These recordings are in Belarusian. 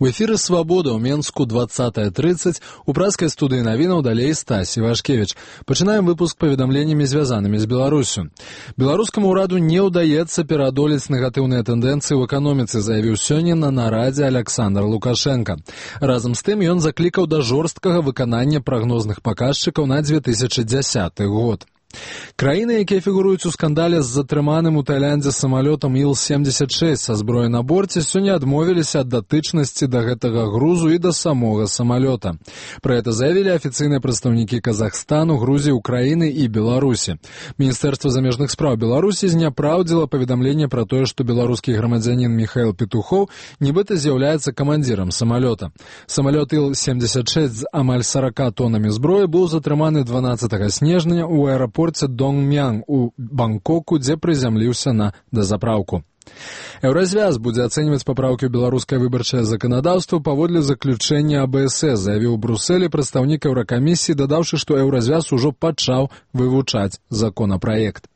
У эфіры «Свабода» ў Менску 20:30, у праскай студыі навінаў далей Стасі Вашкевіч. Пачынаем выпуск паведамленнямі, звязанымі з Беларусю. Беларускаму ўраду не ўдаецца пераадолець негатыўныя тэндэнцыі ў эканоміцы, заявіў сёння на нарадзе Аляксандр Лукашенка. Разам з тым ён заклікаў да жорсткага выканання прагнозных паказчыкаў на 2010 год. Краіны, якія фігуруюць у скандале з затрыманым у Таіландзе самалётам Іл-76 са зброяй на борце, сёння адмовіліся ад датычнасці да гэтага грузу і да самога самалёта. Пра гэта заявілі афіцыйныя прадстаўнікі Казахстану, Грузіі, Украіны і Беларусі. Міністэрства замежных спраў Беларусі зняпраўдзіла паведамленне пра тое, што беларускі грамадзянін Міхаіл Петухоў нібыта з'яўляецца камандзірам самалёта. Самалёт Іл-76 з амаль 40 тонамі зброі быў затрыманы 12 снежня ў аэрапорце Донгмян у Бангкоку, дзе прызямліўся на дазапраўку. Еўразвяз будзе ацэньваць папраўкі ў беларускае выбарчае заканадаўства паводле заключэння АБС, заявіў у Брусэлі прадстаўнік Еўракамісіі, дадаўшы, што Еўразвяз ужо пачаў вывучаць законапраект.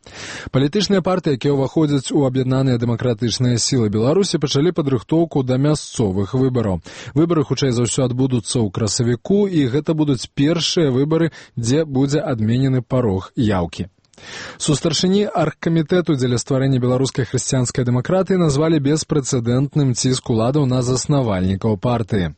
Палітычныя партыі, якія ўваходзяць у аб'яднаныя дэмакратычныя сілы Беларусі, пачалі падрыхтоўку да мясцовых выбараў. Выбары, хутчэй за ўсё, адбудуцца ў красавіку, і гэта будуць першыя выбары, дзе будзе адменены парог яўкі. Сустаршыні аргкамітэту дзеля стварэння беларускай хрысціянскай дэмакратыі назвалі беспрэцэдэнтным ціск уладаў на заснавальнікаў партыі.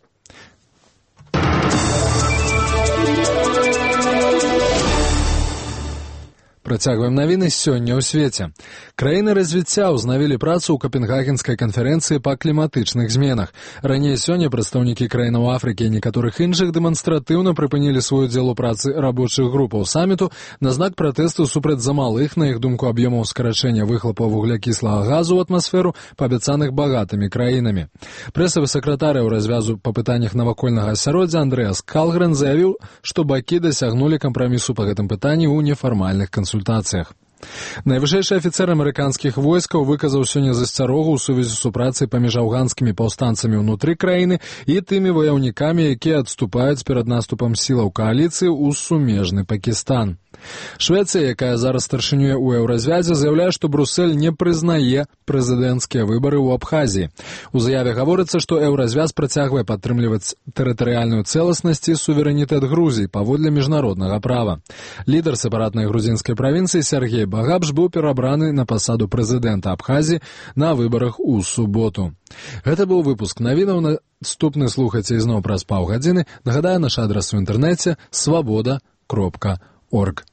Працягваем навіны сёння ў свеце. Краіны развіцця ўзнавілі працу ў Капенгагенскай канферэнцыі па кліматычных зменах. Раней сёння прадстаўнікі краінаў Афрыкі і некаторых іншых дэманстратыўна прыпынілі свой удзел у працы рабочых групаў саміту на знак пратэсту супраць замалых, на іх думку, аб'ёмаў скарачэння выхлапаў вуглякіслага газу ў атмасферу, паабяцаных багатымі краінамі. Прэсавы сакратар Еўразвязу па пытаннях навакольнага асяроддзя Андрэас Калгрен заявіў, што бакі дасягнулі кампрамісу па гэтым пытанні ў нефармальных кансультацыях. Найвышэйшы афіцэр амерыканскіх войскаў выказаў сёння засцярогу ў сувязі з супрацай паміж афганскімі паўстанцамі ўнутры краіны і тымі ваяўнікамі, якія адступаюць перад наступам сілаў кааліцыі ў сумежны Пакістан. Швецыя, якая зараз старшынюе ў Еўразвязе, заяўляе, што Брусэль не прызнае прэзідэнцкія выбары ў Абхазіі. У заяве гаворыцца, што Еўразвяз працягвае падтрымліваць тэрытарыяльную цэласнасць і суверэнітэт Грузіі паводле міжнароднага права. Лідар сепаратнай грузінскай правінцыі Сергей Багапш быў перабраны на пасаду прэзідэнта Абхазіі на выбарах у суботу. Гэта быў выпуск навінаў. Наступны слухайце ізноў праз паўгадзіны. Нагадаю, наш адрас у інтэрнэце свабода.орг.